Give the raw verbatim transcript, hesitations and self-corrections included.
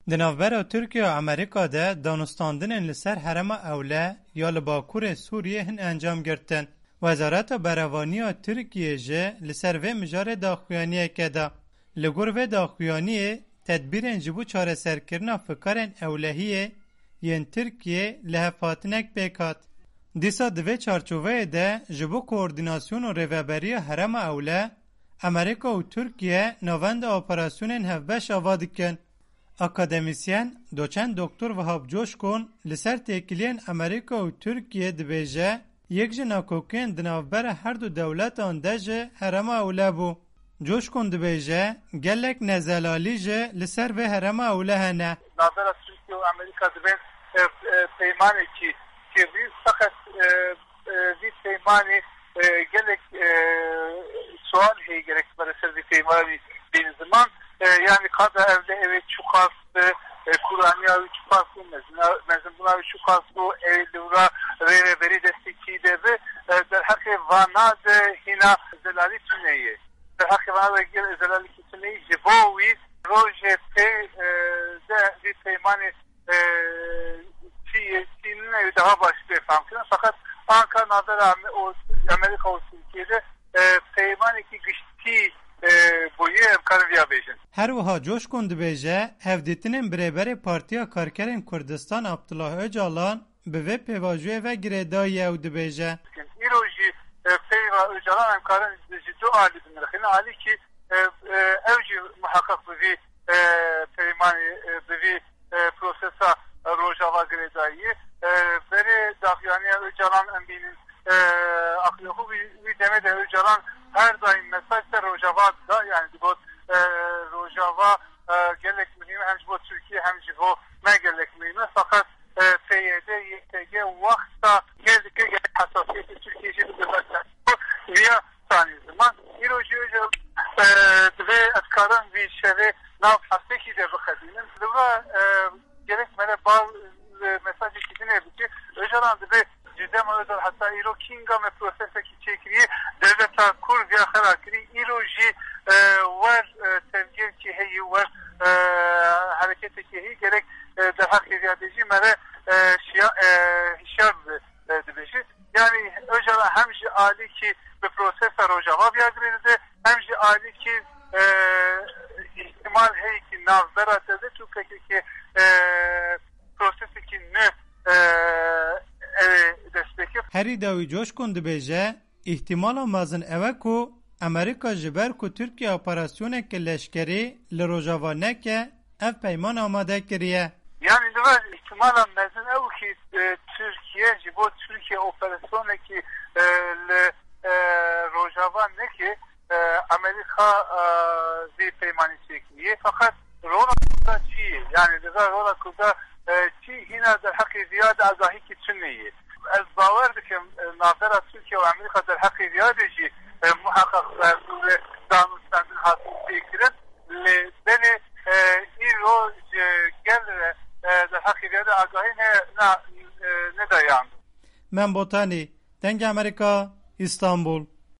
Di navbera Tirkiye û Amerîka de danûstandinên li ser herêma Ewle ya li bakurê Sûriyê hin encam girtin. Wezareta Berevanî ya Tirkiyê jî li ser vê mijarê daxuyaniyeke da. Li gor vê daxuyaniyê, tedbîrên ji bo çareserkirina fikarên ewlehiyê yên Tirkiyê li hevhatinek pêk hat. Dîsa di vê çarçoveyê de ji bo koordînasyon û rêveberiya herêma Ewle, Amerîka û Tirkiye navenda operasyonên hevbeş ava dikin. Akademîsyen, doçent doktor Vehab Coşkun li ser têkiliyên Amerîka û Tirkiye dibêje, yek ji nakokiyên di navbera her du dewletan de ji herêma Ewle bû. Coşkun dibêje, gelek nezelalî jî li ser vê herêma Ewle hene. Navbera Tirkiye û Amerîka divên, e, e, peymanekî kirî, feqet, e, e, vî peymanê, e, gelek, e, sual heye gerek bere ser vî peymanî bîne ziman. E, yanî qada ev de ew ê çiqas bi, e, kuraniya wî çiqas bû, mezina-, mezinbûna wî çiqas bû, ew ê li wira rêveberî destekî de bi, e, derheqê vana de hîna zelalî tune ye. Derheqê vana de gel zelalî tune ye, ji bo wî rojê pê, e, de vî peymanê e, çi ye, çi nîne, daha baş bê fehmkirin. Feqet anka navbera Ame-, û Amerîka û Tirkiye de, e, peymanekî giştî, e, bûye, em karin viya bêjin. Her wiha Coşkun dibêje, hevdîtinên bi Rêberê Partiya Karkerên Kurdistan Abdullah Ocalan bi vê pêvajoyê ve girêdayî ye û dibêje. Îro jî, e, peyva Ocalan em karin ji du alî binirxînin. Alîkî, e, e, ew jî muheqeq bi vî, e, peymanê, e, bi vî e, prosesa Rojava girêdayî. E, berê daxuyaniya Ocalan em bînin, e, aqilê xwe wî, wî demê de Ocalan her daîm mesaj ser Rojava da, yani digot, e, Rojava, e, gelek muhîm e, hem ji bo Tirkiye hem ji bo me gelek muhîm e. Feqet, e, P Y D, Y P G wexta gel dike gelek hesasiyetê Tirkiye jî bide ber ser. Viya sanî ziman. Îro jî Ocalan, e, divê ez karim vî şevê nav hepsekî de biqedînim. Li vira, e, gerek mere bal, e, mesajekî din ê bike. Ocalan divê ji dema Ocalan heta îro kînga me prosesekî çêkiriye, dewleta Kurd viya xera kirî. Îro jî, e, wer, e, tevgêrkî heye, wer, e, hereketekî heye. Gerek, e, derheqê viya de jî mere, e, şiya-, e, hişyar bi, e, dibêje. Yani Ocalan hem ji alîkî bi prosesa Rojava viya girêdayî, hem ji alîkî, e, îhtimal heye ki navbera dewlet û P K K, e, prosesekî nû, e, ew ê dest pê ke. Herî dawî Coşkun dibêje, îhtimala mezin ew e ku Amerîka ji ber ku Tirkiye operasyoneke leşkerî li Rojava neke, ev peyman amade kiriye. Yani li vir îhtimala mezin ew ki, e, Tirkiye ji bo Tirkiye operasyonekî, e, li, e, Rojava neke, e, Amerîka, e, vî peymanî çêkiriye. Feqet rola Kurda çi ye? Yani li vir rola Kurda, e, çi hîna derheqê viya de agahîkî tune ye? Ez bawer dikim, e, navbera Tirkiye û Amerîka derheqê viya de jî, e, muheqeq, e, danûstandin hatin pêkirin. Lê belê, e, îro ji gel re, e, derheqê viya de agahî ne, na, e, nedayan. Mem Botanî, Dengê Amerîka, Îstanbul.